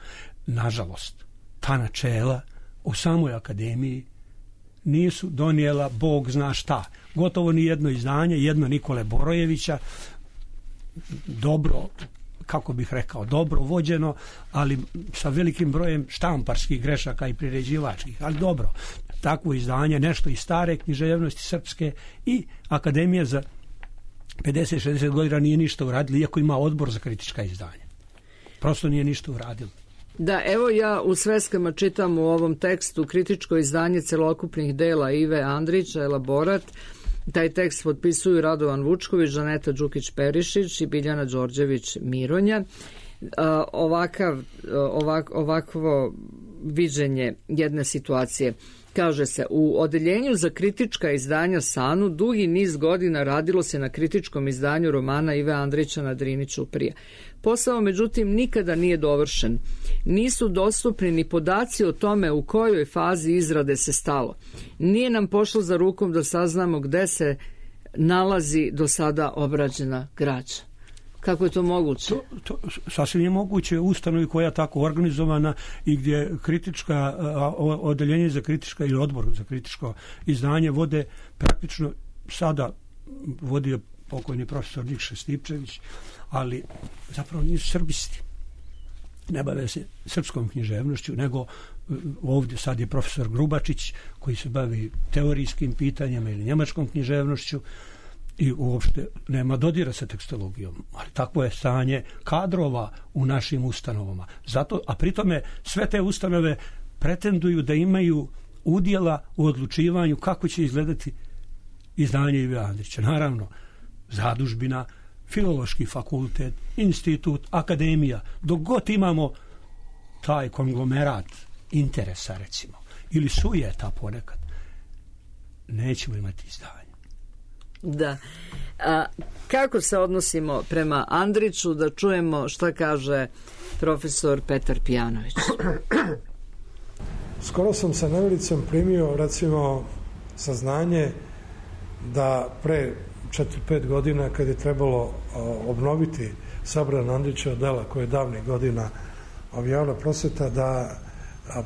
Nažalost, ta načela u samoj Akademiji nisu donijela Bog zna šta. Gotovo ni jedno izdanje, jedno Nikole Borojevića, dobro, kako bih rekao, dobro vođeno, ali sa velikim brojem štamparskih grešaka i priređivačkih, ali dobro. Takvo izdanje, nešto iz stare književnosti srpske, i Akademija za pedeset šezdeset godina nije ništa uradila, iako ima odbor za kritička izdanja. Prosto nije ništa uradila. Da, evo ja u sveskama čitam u ovom tekstu kritičko izdanje celokupnih dela Ive Andrića, elaborat. Taj tekst potpisuju Radovan Vučković, Žaneta Đukić-Perišić i Biljana Đorđević-Mironja. Ovakav, ovak, ovakvo viđenje jedne situacije. Kaže se, u odeljenju za kritička izdanja SANU dugi niz godina radilo se na kritičkom izdanju romana Ive Andrića na Drini Ćuprija. Posao, međutim, nikada nije dovršen. Nisu dostupni ni podaci o tome u kojoj fazi izrade se stalo. Nije nam pošlo za rukom da saznamo gde se nalazi do sada obrađena građa. Kako je to moguće? To, to sasvim je moguće u ustanovi koja je tako organizovana i gdje kritička odeljenje za kritička ili odbor za kritičko izdanje vode praktično sada vodio pokojni profesor Nikša Stipčević, ali zapravo nisu srbisti. Ne bave se srpskom književnošću, nego ovdje sad je profesor Grubačić koji se bavi teorijskim pitanjima ili njemačkom književnošću i uopšte nema dodira sa tekstologijom, ali takvo je stanje kadrova u našim ustanovama. Zato, a pritome sve te ustanove pretenduju da imaju udjela u odlučivanju kako će izgledati izdanje Ive Andrića. Naravno, zadužbina, Filološki fakultet, institut, akademija, dok god imamo taj konglomerat interesa, recimo, ili sujeta ponekad, nećemo imati izdanje. Da. A kako se odnosimo prema Andriću, da čujemo šta kaže profesor Petar Pijanović? Skoro sam sa nevelicom primio, recimo, saznanje da pre četiri pet godina, kad je trebalo obnoviti sabran Andrićeva dela koje je davnih godina objavila Prosveta, da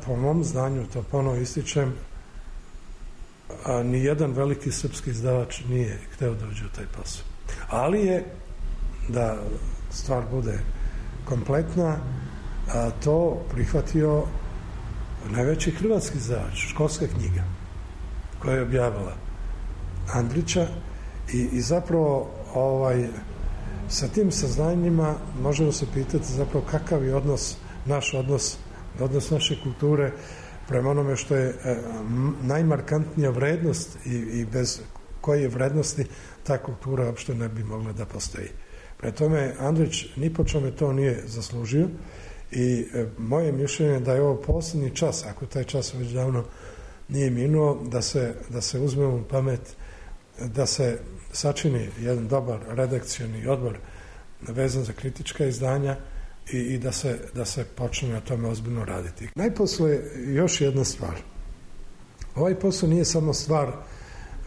po mom znanju, to ponovo ističem, a ni jedan veliki srpski izdavač nije hteo da uđe u taj posao. Ali je, da stvar bude kompletna, a to prihvatio najveći hrvatski izdavač, Školska knjiga, koja je objavila Andrića i, i zapravo ovaj, sa tim saznanjima možemo se pitati zapravo kakav je odnos, naš odnos, odnos naše kulture prema onome što je e, najmarkantnija vrednost i, i bez koje vrednosti ta kultura uopšte ne bi mogla da postoji. Pre tome, Andrić ni po čome to nije zaslužio i e, moje mišljenje da je ovo posljednji čas, ako taj čas već davno nije minuo, da se, da se uzme u pamet, da se sačini jedan dobar redakcioni odbor vezan za kritička izdanja i, i da, se, da se počne na tome ozbiljno raditi. Najposle još jedna stvar. Ovaj posao nije samo stvar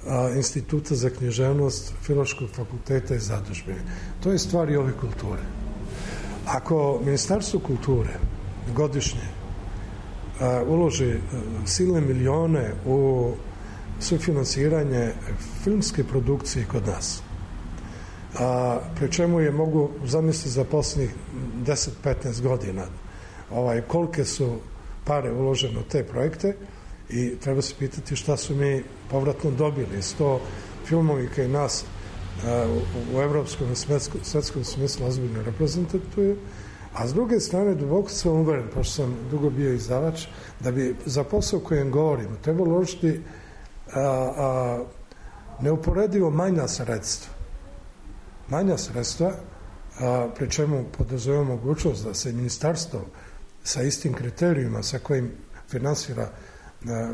a, Instituta za književnost, Filološkog fakulteta i zadužbine. To je stvar i ove kulture. Ako Ministarstvo kulture godišnje a, uloži a, silne milione u sufinansiranje filmske produkcije kod nas, a pri čemu je mogu zamisliti za posljednjih deset do petnaest godina ovaj, kolike su pare uložene u te projekte i treba se pitati šta su mi povratno dobili. Sto filmovi koji nas a, u, u evropskom i svetskom smislu ozbiljno reprezentuje, a s druge strane duboko sam uveren, pošto sam dugo bio izdavač, da bi za posao kojem govorimo trebalo uložiti a, a, neuporedivo manja sredstva. Manja sredstva, a, pri čemu podrazumijeva mogućnost da se ministarstvo sa istim kriterijima sa kojim finansira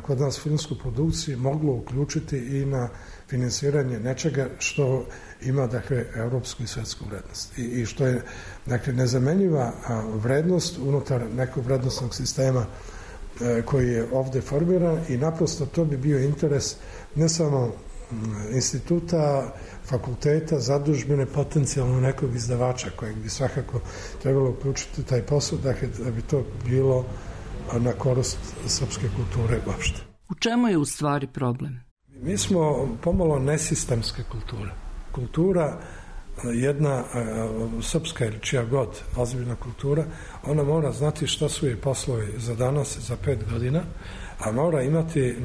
kod nas filmsku produkciju moglo uključiti i na finansiranje nečega što ima, dakle, europsku i svetsku vrednost i, i što je, dakle, nezamenjiva vrednost unutar nekog vrednostnog sistema koji je ovde formiran i naprosto to bi bio interes ne samo instituta, fakulteta, zadužbine, potencijalno nekog izdavača kojeg bi svakako trebalo uključiti taj posao, dakle, da bi to bilo na korist srpske kulture uopšte. U čemu je u stvari problem? Mi smo pomalo nesistemske kulture. Kultura, jedna srpska ili čija god ozbiljna kultura, ona mora znati šta su jej poslovi za danas, za pet godina, a mora imati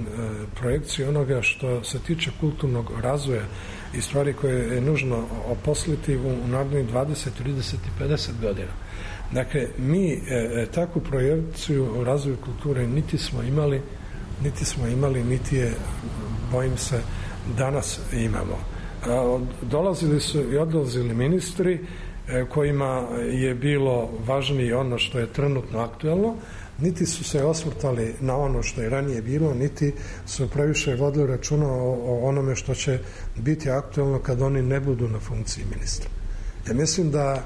projekciju onoga što se tiče kulturnog razvoja i stvari koje je nužno oposliti u narednih dvadeset, trideset i pedeset godina. Dakle, mi e, takvu projekciju o razvoju kulture niti smo imali, niti smo imali, niti je, bojim se, danas imamo. A, dolazili su i odlazili ministri e, kojima je bilo važnije ono što je trenutno aktuelno, niti su se osvrtali na ono što je ranije bilo, niti su previše vodili računa o, o onome što će biti aktuelno kad oni ne budu na funkciji ministra. Ja mislim da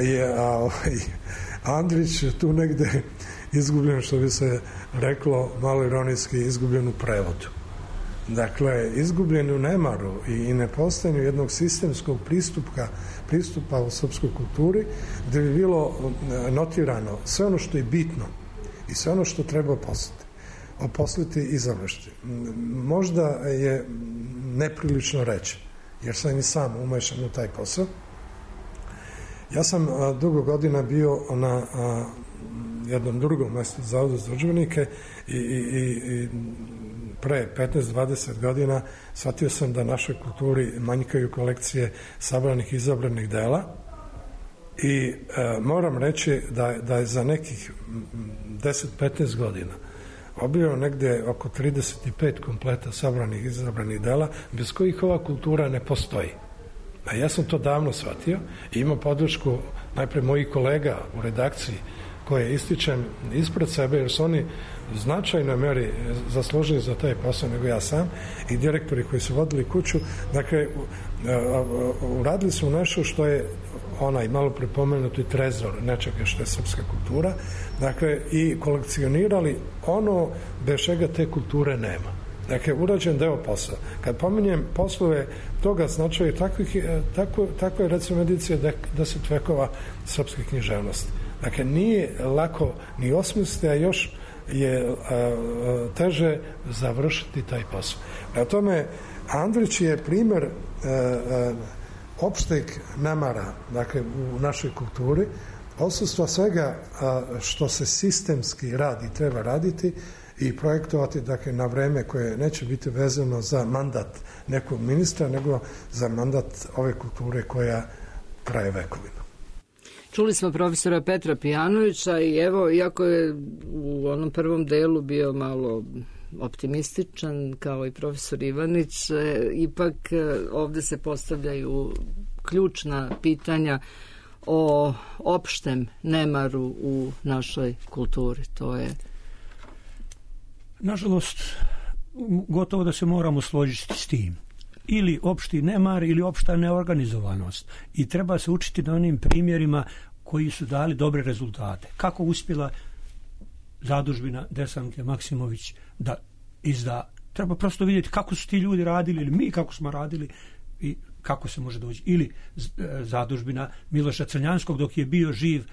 je a, ovaj, Andrić tu negde izgubljen, što bi se reklo malo ironijski, izgubljen u prevodu. Dakle, izgubljen u nemaru i, i nepostojanju jednog sistemskog pristupa, pristupa u srpskoj kulturi, gde bi bilo notirano sve ono što je bitno i sve ono što treba oposliti, oposliti i završiti. Možda je neprilično reći, jer sam i sam umešan u taj posao. Ja sam a, dugo godina bio na a, jednom drugom mestu Zavodu za udžbenike i, i, i pre petnaest dvadeset godina shvatio sam da našoj kulturi manjkaju kolekcije sabranih izabranih dela i a, moram reći da, da je za nekih deset petnaest godina obio negde oko trideset pet kompleta sabranih izabranih dela bez kojih ova kultura ne postoji. A ja sam to davno shvatio i imao podršku najpre mojih kolega u redakciji koje ističem ispred sebe jer su oni značajno meri zaslužili za taj posao nego ja sam i direktori koji su vodili kuću. Dakle, uradili su nešto što je onaj malo prepomenuti trezor nečega što je srpska kultura, dakle, i kolekcionirali ono bez čega te kulture nema. Dakle, urađen deo posla. Kad pominjem poslove toga značaju takvih, tako, tako je recimo edicija deset vekova srpske književnosti. Dakle, nije lako ni osmisliti, a još je a, a, teže završiti taj posao. Na tome, Andrić je primer a, a, opšteg nemara, dakle, u našoj kulturi, odsustva svega a, što se sistemski radi, treba raditi i projektovati, dakle, na vreme koje neće biti vezano za mandat nekog ministra, nego za mandat ove kulture koja traje vekovima. Čuli smo profesora Petra Pijanovića i evo, iako je u onom prvom delu bio malo optimističan, kao i profesor Ivanić, ipak ovde se postavljaju ključna pitanja o opštem nemaru u našoj kulturi. To je... Nažalost, gotovo da se moramo složiti s tim. Ili opšti nemar ili opšta neorganizovanost. I treba se učiti na onim primjerima koji su dali dobre rezultate. Kako uspjela zadužbina Desanke Maksimović da izda. Treba prosto vidjeti kako su ti ljudi radili ili mi kako smo radili i kako se može doći. Ili zadužbina Miloša Crnjanskog dok je bio živ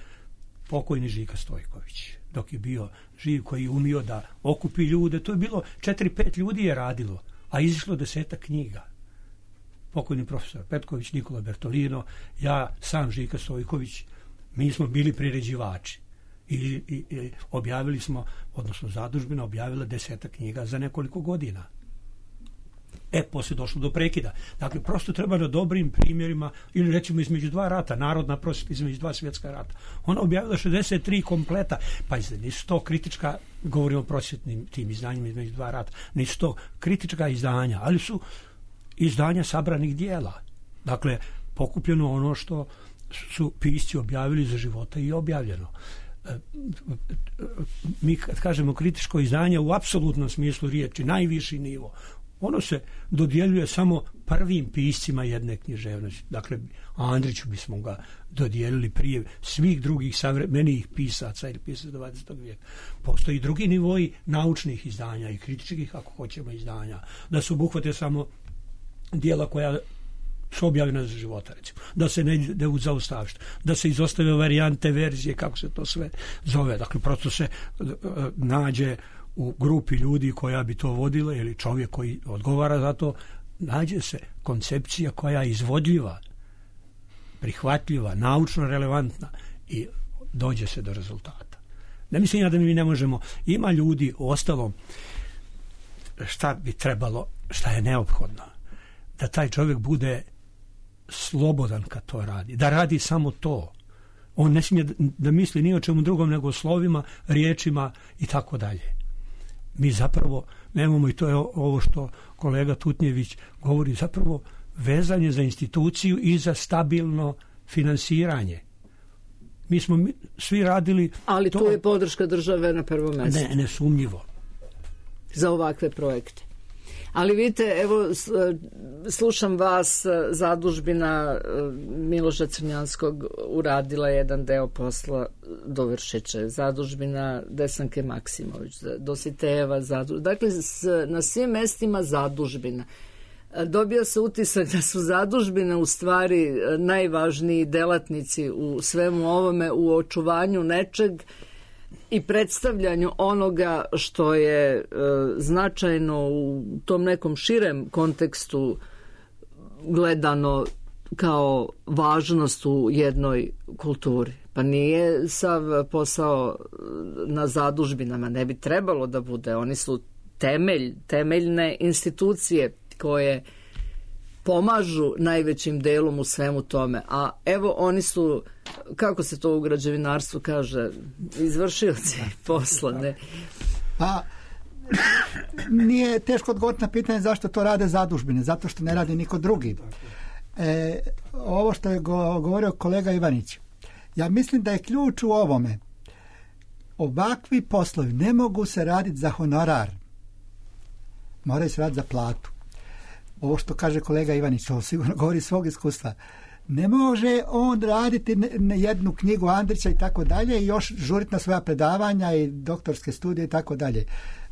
pokojni Žika Stojković. Dok je bio živ koji je umio da okupi ljude. To je bilo četiri pet ljudi je radilo, a izišlo desetak knjiga. Pokojni profesor Petković, Nikola Bertolino, ja, sam Žika Stojković, mi smo bili priređivači. I, i, i objavili smo, odnosno zadužbina objavila desetak knjiga za nekoliko godina. E, poslije došlo do prekida. Dakle, prosto treba na dobrim primjerima, ili recimo između dva rata, narodna prosvjeta između dva svjetska rata. Ona objavila šezdeset tri kompleta, pa nisu to kritička, govorimo o prosvjetnim tim izdanjima između dva rata, nisu to kritička izdanja, ali su izdanja sabranih dijela. Dakle, pokupljeno ono što su pisci objavili za života i objavljeno. mi kad kažemo kritičko izdanje u apsolutnom smislu riječi, najviši nivo, ono se dodjeljuje samo prvim piscima jedne književnosti. Dakle, Andriću bismo ga dodijelili prije svih drugih savremenijih pisaca ili pisaca dvadesetog vijeka. Postoji drugi nivoji naučnih izdanja i kritičkih, ako hoćemo, izdanja, da se obuhvate samo dijela koja su objavljena za života, recimo. Da se ne ide u zaustavište, da se izostave varijante, verzije, kako se to sve zove. Dakle, prosto se uh, nađe u grupi ljudi koja bi to vodila ili čovjek koji odgovara za to, nađe se koncepcija koja je izvodljiva, prihvatljiva, naučno relevantna i dođe se do rezultata. Ne mislim ja da mi ne možemo, ima ljudi u ostalom, šta bi trebalo, šta je neophodno, da taj čovjek bude slobodan kad to radi, da radi samo to. On ne smije da misli ni o čemu drugom nego o slovima, riječima i tako dalje. Mi zapravo nemamo, i to je ovo što kolega Tutnjević govori, zapravo vezanje za instituciju i za stabilno finansiranje. Mi smo mi, svi radili... Ali to, tu je podrška države na prvom mjestu. Ne, nesumnjivo. Za ovakve projekte. Ali vidite, evo, slušam vas, zadužbina Miloša Crnjanskog uradila jedan deo posla, dovršit će. Zadužbina Desanke Maksimović, Dositejeva zadužbina. Dakle, na svim mestima zadužbina. Dobio se utisak da su zadužbine u stvari najvažniji delatnici u svemu ovome, u očuvanju nečeg i predstavljanju onoga što je e, značajno u tom nekom širem kontekstu gledano kao važnost u jednoj kulturi. Pa nije sav posao na zadužbinama, ne bi trebalo da bude. Oni su temelj, temeljne institucije koje pomažu najvećim delom u svemu tome. A evo oni su, kako se to u građevinarstvu kaže, izvršioci posla. Ne? Pa nije teško odgovoriti na pitanje zašto to rade zadužbine, zato što ne radi niko drugi. E, ovo što je govorio kolega Ivanić, ja mislim da je ključ u ovome. Ovakvi poslovi ne mogu se raditi za honorar, moraju se raditi za platu. Ovo što kaže kolega Ivanić, ovo sigurno govori svog iskustva. Ne može on raditi jednu knjigu Andrića i tako dalje i još žuriti na svoja predavanja i doktorske studije i tako dalje.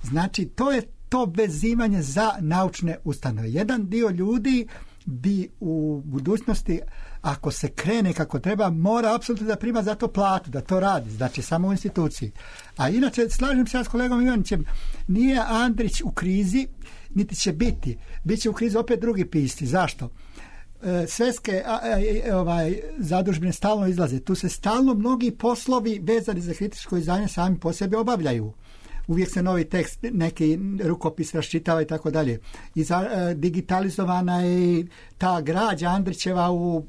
Znači, to je to vezivanje za naučne ustanove. Jedan dio ljudi bi u budućnosti, ako se krene kako treba, mora apsolutno da prima za to platu, da to radi, znači samo u instituciji. A inače, slažem se ja s kolegom Ivanićem, nije Andrić u krizi, niti će biti. Biće u krizi opet drugi pisci. Zašto? E, Svetske a, a, ovaj, zadužbine stalno izlaze. Tu se stalno mnogi poslovi vezani za kritičko izdanje sami po sebi obavljaju. Uvijek se novi tekst, neki rukopis raščitava i tako dalje. I za, e, digitalizovana je ta građa Andrićeva u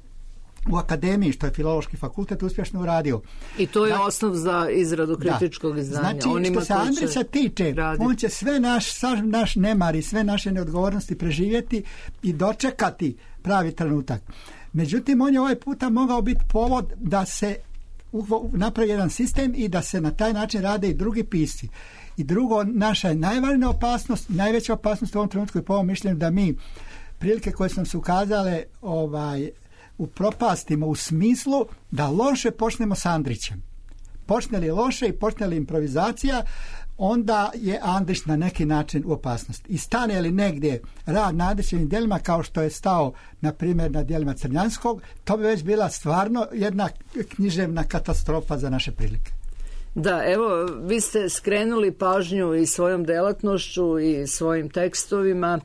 u akademiji, što je Filološki fakultet uspješno uradio. I to je da, osnov za izradu kritičkog izdanja. Znači, onima što se Andrića tiče, raditi. On će sve naš, naš nemar i sve naše neodgovornosti preživjeti i dočekati pravi trenutak. Međutim, on je ovaj puta mogao biti povod da se napravi jedan sistem i da se na taj način rade i drugi pisci. I drugo, naša je najvažnija opasnost, najveća opasnost u ovom trenutku je po ovom mišljenju da mi prilike koje su nam se ukazale ovaj, upropastimo u smislu da loše počnemo s Andrićem. Počne li loše i počne li improvizacija, onda je Andrić na neki način u opasnosti. I stane li negdje rad na Andrićevim djelima kao što je stao, na primjer, na djelima Crnjanskog, to bi već bila stvarno jedna književna katastrofa za naše prilike. Da, evo, vi ste skrenuli pažnju i svojom delatnošću i svojim tekstovima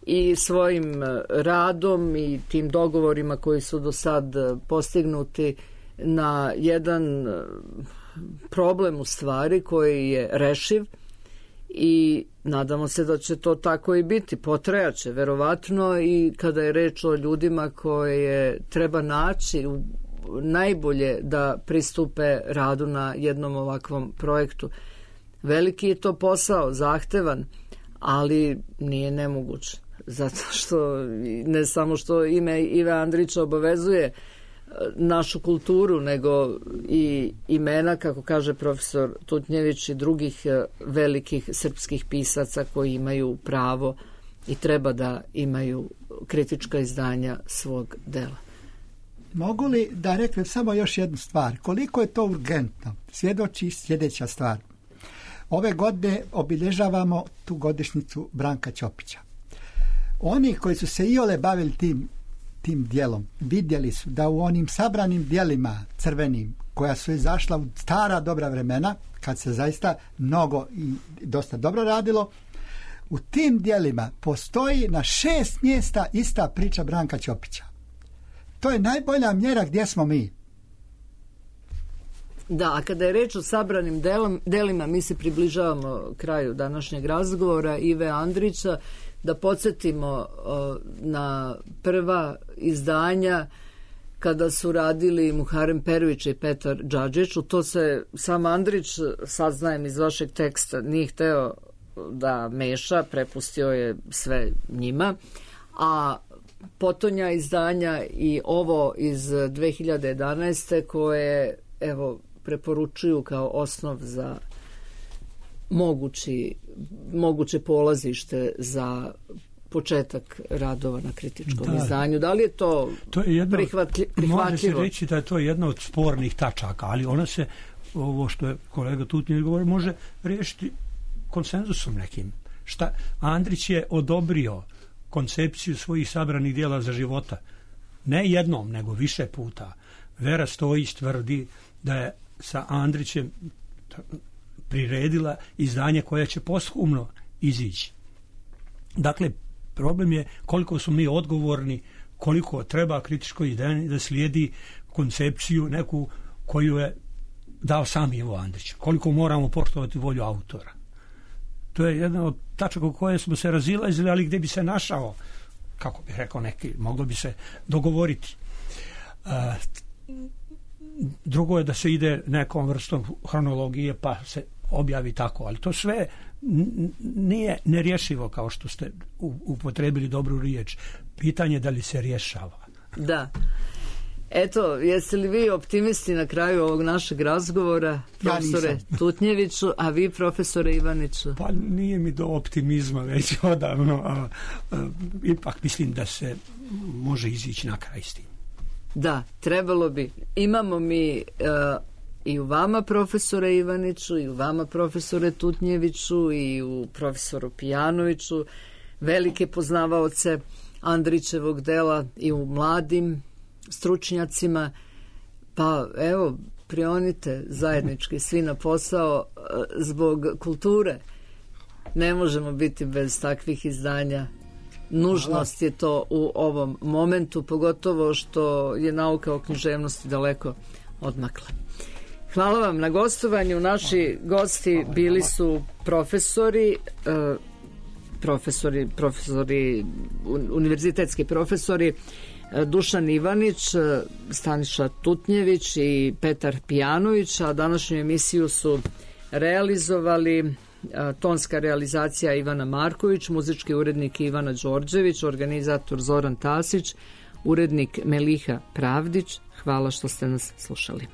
i svojim radom i tim dogovorima koji su do sad postignuti na jedan problem u stvari koji je rešiv i nadamo se da će to tako i biti. Potrajaće verovatno i kada je reč o ljudima koje treba naći najbolje da pristupe radu na jednom ovakvom projektu. Veliki je to posao, zahtevan, ali nije nemoguć. Zato što ne samo što ime Ive Andrića obavezuje našu kulturu, nego i imena, kako kaže profesor Tutnjević, i drugih velikih srpskih pisaca koji imaju pravo i treba da imaju kritička izdanja svog dela. Mogu li da reknem samo još jednu stvar? Koliko je to urgentno? Svjedoči sljedeća stvar. Ove godine obilježavamo tu godišnjicu Branka Ćopića. Oni koji su se iole bavili tim, tim dijelom, vidjeli su da u onim sabranim dijelima crvenim, koja su izašla u stara dobra vremena, kad se zaista mnogo i dosta dobro radilo, u tim dijelima postoji na šest mjesta ista priča Branka Ćopića. To je najbolja mjera gdje smo mi. Da, a kada je reč o sabranim delom, delima, mi se približavamo kraju današnjeg razgovora Ive Andrića, da podsjetimo o, na prva izdanja kada su radili Muharem Perović i Petar Džadžić. U to se sam Andrić, saznajem iz vašeg teksta, nije hteo da meša, prepustio je sve njima, a potonja izdanja i ovo iz dve hiljade jedanaeste koje, evo, preporučuju kao osnov za mogući, moguće polazište za početak radova na kritičkom da. izdanju. Da li je to, to je jedno, prihvatli, prihvatljivo? Može se reći da je to jedna od spornih tačaka, ali ona se, ovo što je kolega Tutnjević govori, može riješiti konsenzusom nekim. Šta? Andrić je odobrio koncepciju svojih sabranih dijela za života. Ne jednom, nego više puta. Vera Stojić tvrdi da je sa Andrićem priredila izdanje koje će posthumno izići. Dakle, problem je koliko su mi odgovorni, koliko treba kritičko izdanje da slijedi koncepciju neku koju je dao sam Ivo Andrić. Koliko moramo poštovati volju autora. To je jedna od tačaka u koje smo se razilazili, ali gdje bi se našao, kako bih rekao neki, moglo bi se dogovoriti. Uh, drugo je da se ide nekom vrstom hronologije pa se objavi tako, ali to sve nije nerješivo, kao što ste upotrebili dobru riječ. Pitanje je da li se rješava. Da. Eto, jeste li vi optimisti na kraju ovog našeg razgovora, profesore ja Tutnjeviću, a vi, profesore Ivaniću? Pa nije mi do optimizma već odavno, a, a, ipak mislim da se može izići na kraj s tim. Da, trebalo bi. Imamo mi uh, i u vama, profesore Ivaniću, i u vama, profesore Tutnjeviću, i u profesoru Pijanoviću, velike poznavaoce Andrićevog dela, i u mladim stručnjacima. Pa evo, prionite zajednički svi na posao zbog kulture. Ne možemo biti bez takvih izdanja. Nužnost je to u ovom momentu, pogotovo što je nauka o književnosti daleko odmakla. Hvala vam na gostovanju. Naši gosti bili su profesori, profesori, profesori, univerzitetski profesori Dušan Ivanić, Staniša Tutnjević i Petar Pijanović, a današnju emisiju su realizovali tonska realizacija Ivana Marković, muzički urednik Ivana Đorđević, organizator Zoran Tasić, urednik Meliha Pravdić. Hvala što ste nas slušali.